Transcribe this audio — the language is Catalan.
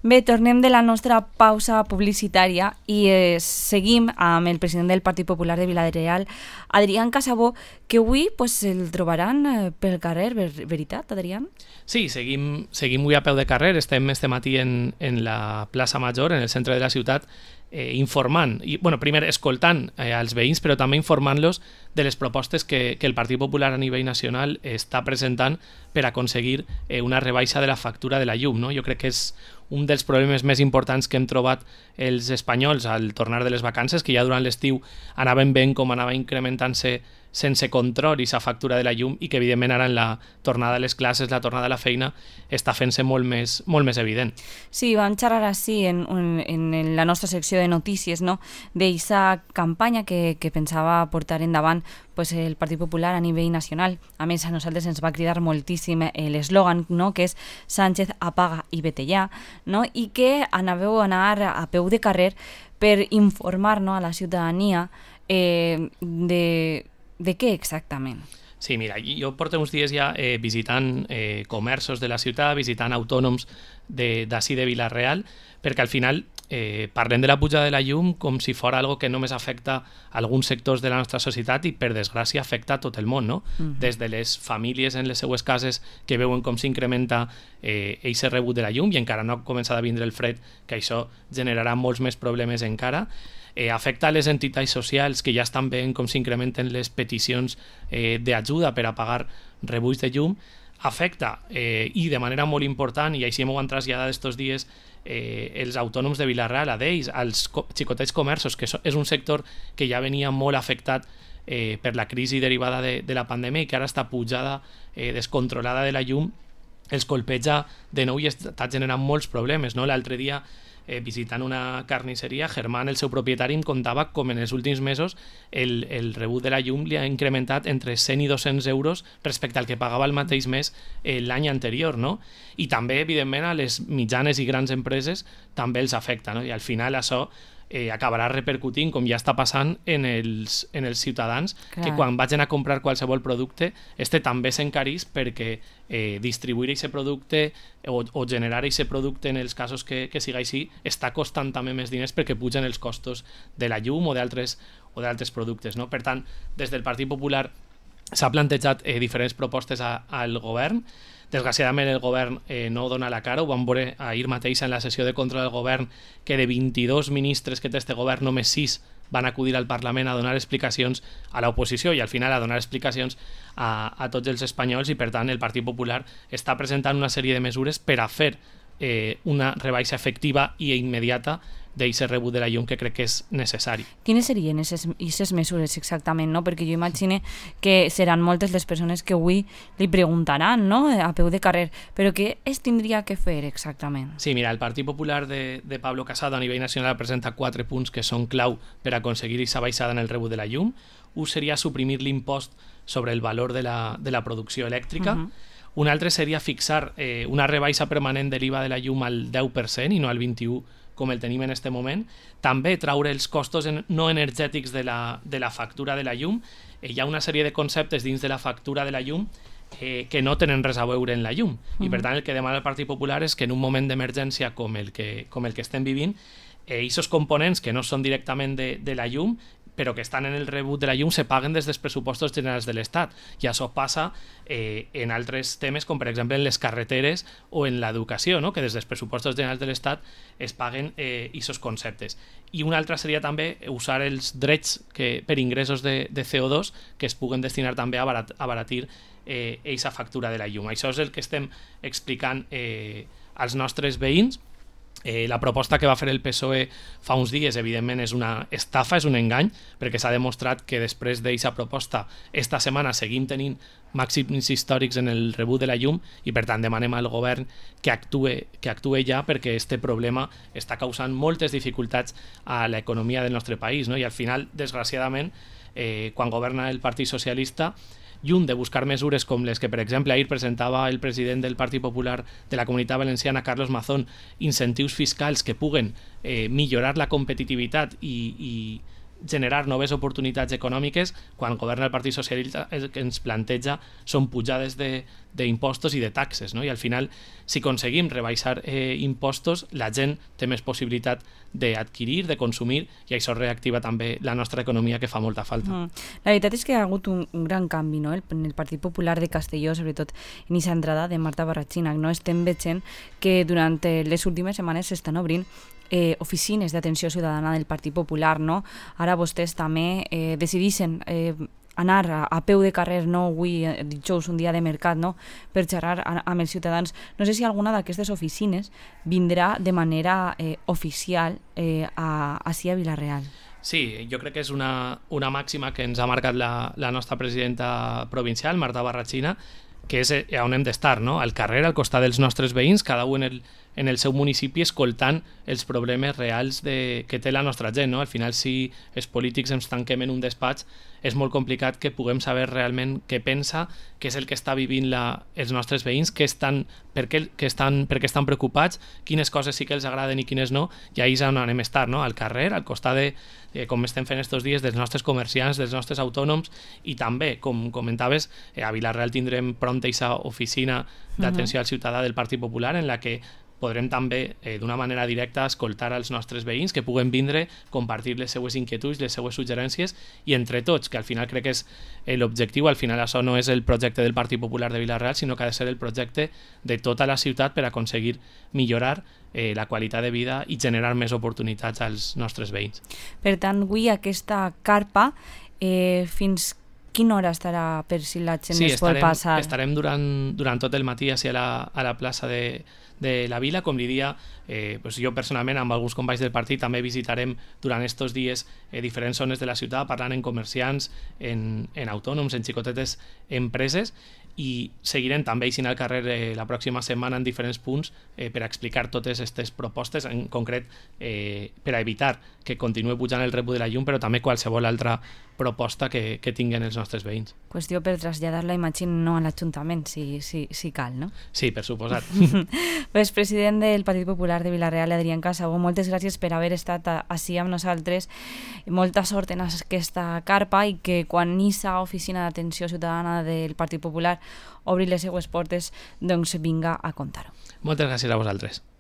Bé, tornem de la nostra pausa publicitària i seguim amb el president del Partit Popular de Vila-real, Adrián Casabó, que avui el trobaran pel carrer, veritat, Adrián? Sí, seguim avui a peu de carrer, estem este matí en la plaça Major, en el centre de la ciutat, informant, i primer escoltant als veïns, però també informant-los de les propostes que el Partit Popular a nivell nacional està presentant per aconseguir una rebaixa de la factura de la llum, no? Jo crec que és un dels problemes més importants que hem trobat els espanyols al tornar de les vacances, que ja durant l'estiu anaven veient com anava incrementant-se sense control aquesta factura de la llum i que evidentment ara en la tornada a les classes, la tornada a la feina, està fent-se molt més evident. Sí, vam xerrar així en la nostra secció de notícies, no? D'eixa campanya que pensava portar endavant el Partit Popular a nivell nacional. A més, a nosaltres ens va cridar moltíssim l'eslògan, no? Que és Sánchez apaga i vete ja, no? I que anàveu a anar a peu de carrer per informar, no, a la ciutadania de què exactament? Sí, mira, jo porto uns dies ja visitant comerços de la ciutat, visitant autònoms d'ací de Vila-real, perquè al final parlem de la pujada de la llum com si fos algo que només afecta alguns sectors de la nostra societat i per desgràcia afecta tot el món, no? Des de les famílies en les seues cases que veuen com s'incrementa eixe rebut de la llum i encara no ha començat a vindre el fred, que això generarà molts més problemes encara. Afecta a les entitats socials que ja estan veient com s'incrementen les peticions d'ajuda per a pagar rebuts de llum. Afecta, i de manera molt important, i així m'ho han traslladat estos dies els autònoms de Vila-real, a d'ells, als xicotets comerços, que és un sector que ja venia molt afectat per la crisi derivada de la pandèmia i que ara està pujada descontrolada de la llum, els colpeja de nou i està generant molts problemes, no? L'altre dia visitant una carnisseria, Germán, el seu propietari, em contava com en els últims mesos el rebut de la llum li ha incrementat entre 100 i 200 euros respecte al que pagava el mateix mes l'any anterior, no? I també, evidentment, a les mitjanes i grans empreses també els afecta, no? I al final això acabarà repercutint, com ja està passant, en els ciutadans. Clar. Que quan vagin a comprar qualsevol producte també s'encarís perquè distribuir aquest producte o generar aquest producte en els casos que siga així està costant també més diners perquè pugen els costos de la llum o d'altres productes, no? Per tant, des del Partit Popular s'ha plantejat diferents propostes al govern. Desgraciadament el govern no dona la cara, ho vam veure ahir mateix en la sessió de control del govern, que de 22 ministres que té este govern només 6 van acudir al Parlament a donar explicacions a l'oposició i al final a donar explicacions a tots els espanyols, i per tant el Partit Popular està presentant una sèrie de mesures per a fer una rebaixa efectiva i immediata d'aquest rebut de la llum que crec que és necessari. Quines serien aquestes mesures exactament, no? Perquè jo imagino que seran moltes les persones que avui li preguntaran, no? A peu de carrer, però què es tindria que fer exactament? Sí, mira, el Partit Popular de Pablo Casado a nivell nacional presenta 4 punts que són clau per aconseguir aquesta baixada en el rebut de la llum. Un seria suprimir l'impost sobre el valor de la producció elèctrica. Un altre seria fixar una rebaixa permanent de l'IVA de la llum al 10% i no al 21%, com el tenim en aquest moment. També traure els costos no energètics de la factura de la llum. Hi ha una sèrie de conceptes dins de la factura de la llum que no tenen res a veure en la llum. I per tant el que demana el Partit Popular és que en un moment d'emergència com el que estem vivint, aquests components que no són directament de la llum però que estan en el rebut de la llum se paguen des dels pressupostos generals de l'Estat. I això passa en altres temes, com per exemple en les carreteres o en l'educació, no? Que des dels pressupostos generals de l'Estat es paguen aquests conceptes. I una altra seria també usar els drets per ingressos de CO2 que es puguen destinar també a abaratir aquesta factura de la llum. Això és el que estem explicant als nostres veïns. La proposta que va fer el PSOE fa uns dies evidentment és una estafa, és un engany, perquè s'ha demostrat que després d'aquesta proposta esta setmana seguim tenint màxims històrics en el rebut de la llum i per tant demanem al govern que actue ja, perquè este problema està causant moltes dificultats a l'economia del nostre país, no? I al final, desgraciadament, quan governa el Partit Socialista, lluny de buscar mesures com les que, per exemple, ahir presentava el president del Partit Popular de la Comunitat Valenciana, Carlos Mazón, incentius fiscals que puguen millorar la competitivitat i generar noves oportunitats econòmiques, quan governa el Partit Socialista el que ens planteja són pujades de d'impostos i de taxes, no? I al final, si aconseguim rebaixar impostos, la gent té més possibilitat d'adquirir, de consumir, i això reactiva també la nostra economia, que fa molta falta. La veritat és que ha hagut un gran canvi, no? En el Partit Popular de Castelló, sobretot en aquesta entrada de Marta Barratxina, no? Estem veient que durant les últimes setmanes s'estan obrint oficines d'atenció ciutadana del Partit Popular, no? Ara vostès també decidixen anar a peu de carrer, no? Avui, dijous, un dia de mercat, no? Per xerrar amb els ciutadans. No sé si alguna d'aquestes oficines vindrà de manera oficial ací a Vila-real. Sí, jo crec que és una màxima que ens ha marcat la nostra presidenta provincial, Marta Barratxina, que és on hem d'estar, no? Al carrer, al costat dels nostres veïns, cada un en el seu municipi, escoltant els problemes reals que té la nostra gent, no? Al final, si els polítics ens tanquem en un despatx, és molt complicat que puguem saber realment què pensa, què és el que està vivint els nostres veïns, per què estan preocupats, quines coses sí que els agraden i quines no, i ahir és on anem a estar, no? Al carrer, al costat com estem fent estos dies, dels nostres comerciants, dels nostres autònoms, i també, com comentaves, a Vila-real tindrem prompt aquesta oficina d'atenció al ciutadà del Partit Popular, en la que podrem també, d'una manera directa, escoltar els nostres veïns, que puguen vindre, compartir les seues inquietuds, les seues suggerències, i entre tots, que al final crec que és l'objectiu, al final això no és el projecte del Partit Popular de Vila-real, sinó que ha de ser el projecte de tota la ciutat per aconseguir millorar la qualitat de vida i generar més oportunitats als nostres veïns. Per tant, avui aquesta carpa, fins quina hora estarà per si la gent es pot passar? Sí, estarem durant tot el matí a la plaça de la vila, com li dia, jo personalment amb alguns companys del partit també visitarem durant estos dies diferents zones de la ciutat, parlant amb comerciants, en autònoms, en xicotetes empreses, i seguirem també eixint al carrer la pròxima setmana en diferents punts per explicar totes aquestes propostes, en concret per a evitar que continuï pujant el rebut de la llum, però també qualsevol altra proposta que tinguen els nostres veïns. Qüestió per traslladar-la, imagino, a l'Ajuntament, si cal, no? Sí, per suposat. Pues, president del Partit Popular de Vila-real, Adrián Casabó, moltes gràcies per haver estat ací amb nosaltres. Molta sort en aquesta carpa, i que quan aquesta oficina d'atenció ciutadana del Partit Popular obri les seues portes, doncs vinga a contar-ho. Moltes gràcies a vosaltres.